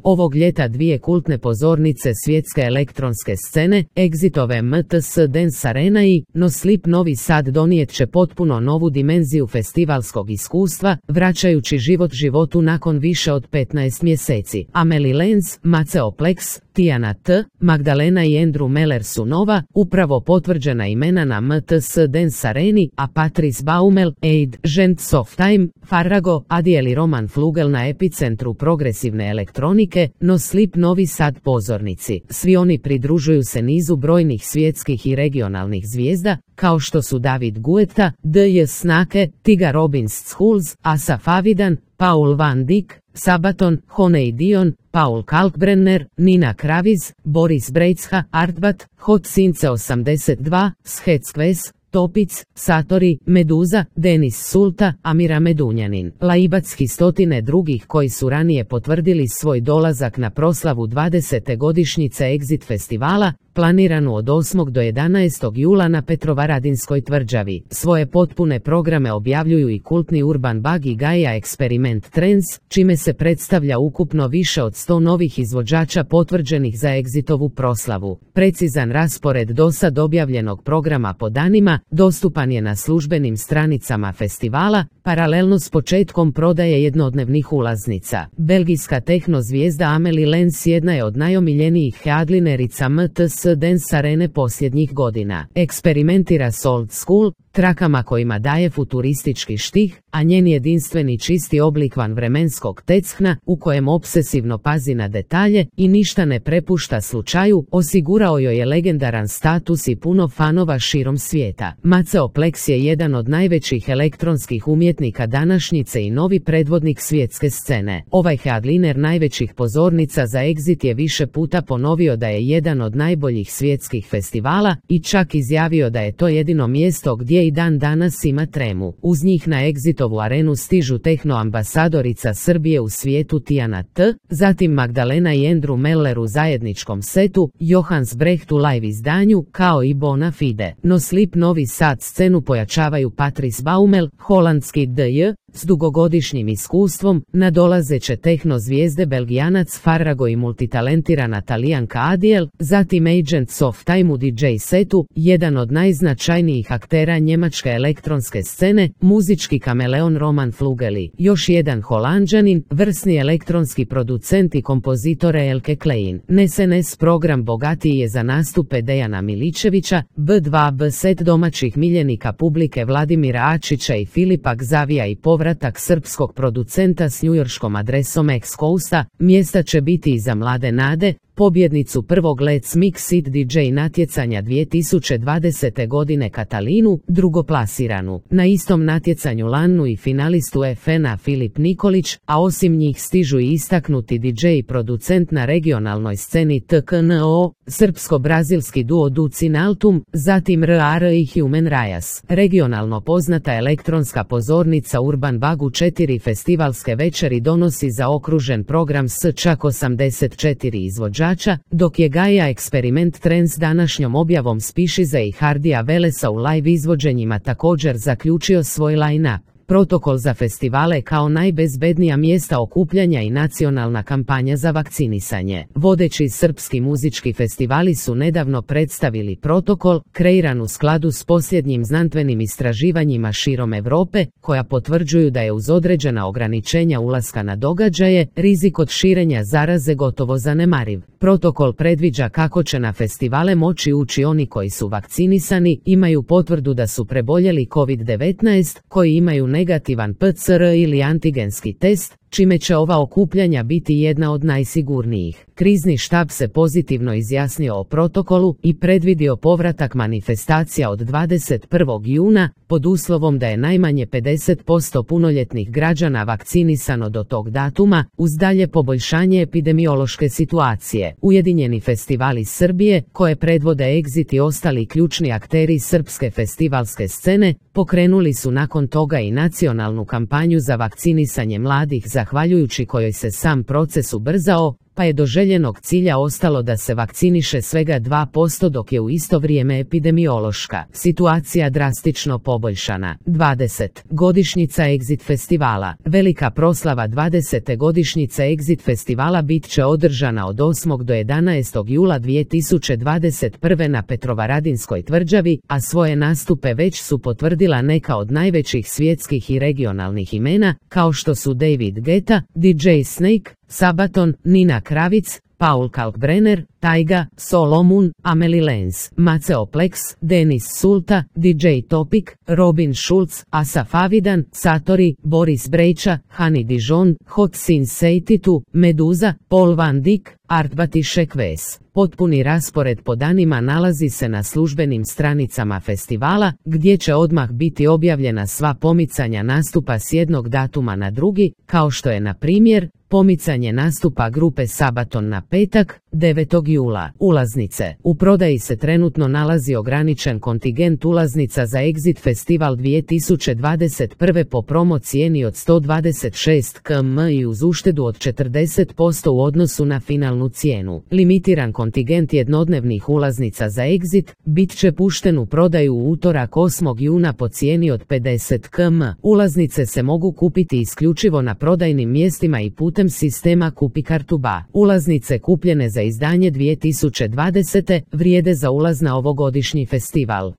Ovog ljeta dvije kultne pozornice svjetske elektronske scene, Exitove MTS Dance Arena i No Sleep Novi Sad donijet će potpuno novu dimenziju festivalskog iskustva, vraćajući život životu nakon više od 15 mjeseci. Amelie Lenz, Maceo Plex, Tijana T, Magdalena i Andrew Meller su nova, upravo potvrđena imena na MTS Dance Areni, a Patrice Baumel, Aid, Gents of Time, Farrago, Adiel i Roman Flugel na epicentru progresivne elektronike, No Sleep Novi Sad pozornici. Svi oni pridružuju se nizu brojnih svjetskih i regionalnih zvijezda, kao što su David Guetta, D.J. Snake, Tiga Robbins Schools, Asaf Avidan, Paul Van Dyk, Sabaton, Honey Dion, Paul Kalkbrenner, Nina Kraviz, Boris Brejcha, Artbat, Hot Since 82, Shetskves, Topic, Satori, Meduza, Denis Sulta, Amira Medunjanin, Laibac i stotine drugih koji su ranije potvrdili svoj dolazak na proslavu 20. godišnjice Exit festivala, planiranu od 8. do 11. jula na Petrovaradinskoj tvrđavi. Svoje potpune programe objavljuju i kultni Urban Bug i Gaia Experiment Trends, čime se predstavlja ukupno više od 100 novih izvođača potvrđenih za Exitovu proslavu. Precizan raspored dosad objavljenog programa po danima dostupan je na službenim stranicama festivala, paralelno s početkom prodaje jednodnevnih ulaznica. Belgijska tehno zvijezda Amelie Lenz jedna je od najomiljenijih headlinerica MTS Dance Arene posljednjih godina. Eksperimentira s old school trakama kojima daje futuristički štih, a njen jedinstveni čisti oblik vanvremenskog tecna, u kojem obsesivno pazi na detalje i ništa ne prepušta slučaju, osigurao joj je legendaran status i puno fanova širom svijeta. Maceo Plex je jedan od najvećih elektronskih umjetnika današnjice i novi predvodnik svjetske scene. Ovaj headliner najvećih pozornica za Exit je više puta ponovio da je jedan od najboljih svjetskih festivala i čak izjavio da je to jedino mjesto gdje i dan danas ima tremu. Uz njih na Exitovu arenu stižu tehno ambasadorica Srbije u svijetu Tijana T, zatim Magdalena i Andrew Meller u zajedničkom setu, Johans Brecht u live izdanju, kao i Bona Fide. No Sleep Novi Sad scenu pojačavaju Patrice Baumel, holandski D.J. s dugogodišnjim iskustvom, nadolazeće tehno zvijezde Belgijanac Farrago i multitalentirana Talijanka Adiel, zatim Agents of Time u DJ setu, jedan od najznačajnijih aktera njemačke elektronske scene, muzički kameleon Roman Flugeli, još jedan Holanđanin, vrsni elektronski producent i kompozitor Elke Klein. SNS program bogatiji je za nastupe Dejana Miličevića, B2B set domaćih miljenika publike Vladimira Ačića i Filipa Gzavija i povratak srpskog producenta s njujorškom adresom X Coasta. Mjesta će biti i za mlade nade, pobjednicu prvog Let's Mix It DJ natjecanja 2020. godine Katalinu, drugoplasiranu. Na istom natjecanju Lanu i finalistu FN-a Filip Nikolić, a osim njih stižu i istaknuti DJ i producent na regionalnoj sceni TKNO, srpsko-brazilski duo Ducin Altum, zatim RR i Human Rajas. Regionalno poznata elektronska pozornica Urban Bug u 4 festivalske večeri donosi zaokružen program s čak 84 izvođača, dok je Gaia Experiment Trends današnjom objavom Spišiza i Hardija Velesa u live izvođenjima također zaključio svoj line-up. Protokol za festivale kao najbezbednija mjesta okupljanja i nacionalna kampanja za vakcinisanje. Vodeći srpski muzički festivali su nedavno predstavili protokol, kreiran u skladu s posljednjim znanstvenim istraživanjima širom Europe, koja potvrđuju da je uz određena ograničenja ulaska na događaje, rizik od širenja zaraze gotovo zanemariv. Protokol predviđa kako će na festivale moći ući oni koji su vakcinisani, imaju potvrdu da su preboljeli COVID-19, koji imaju negativan PCR ili antigenski test, čime će ova okupljanja biti jedna od najsigurnijih. Krizni štab se pozitivno izjasnio o protokolu i predvidio povratak manifestacija od 21. juna, pod uslovom da je najmanje 50% punoljetnih građana vakcinisano do tog datuma, uz dalje poboljšanje epidemiološke situacije. Ujedinjeni festivali Srbije, koje predvode Exit i ostali ključni akteri srpske festivalske scene, pokrenuli su nakon toga i nacionalnu kampanju za vakcinisanje mladih, zahvaljujući kojoj se sam proces ubrzao, pa je do željenog cilja ostalo da se vakciniše svega 2%, dok je u isto vrijeme epidemiološka situacija drastično poboljšana. 20. Godišnjica Exit festivala. Velika proslava 20. godišnjice Exit festivala bit će održana od 8. do 11. jula 2021. na Petrovaradinskoj tvrđavi, a svoje nastupe već su potvrdila neka od najvećih svjetskih i regionalnih imena, kao što su David Guetta, DJ Snake, Sabaton, Nina Kravic, Paul Kalkbrenner, Taiga, Solomon, Amelie Lenz, Maceo Plex, Denis Sulta, DJ Topic, Robin Schulz, Asaf Avidan, Satori, Boris Brejča, Hani Dijon, Hot Since 82, Meduza, Paul Van Dyk, Artbatišek Ves. Potpuni raspored po danima nalazi se na službenim stranicama festivala, gdje će odmah biti objavljena sva pomicanja nastupa s jednog datuma na drugi, kao što je na primjer pomicanje nastupa grupe Sabaton na petak, 9. jula. Ulaznice. U prodaji se trenutno nalazi ograničen kontingent ulaznica za Exit festival 2021. po promo cijeni od 126 km i uz uštedu od 40% u odnosu na finalnu cijenu. Limitiran kontingent jednodnevnih ulaznica za Exit bit će pušten u prodaju u utorak 8. juna po cijeni od 50 km. Ulaznice se mogu kupiti isključivo na prodajnim mjestima i putem sistema Kupi kartu BA. Ulaznice kupljene za izdanje 2020. vrijede za ulaz na ovogodišnji festival.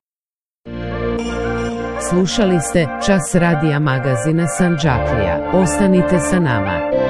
Slušali ste Čas radija magazina Sandžaklija. Ostanite sa nama.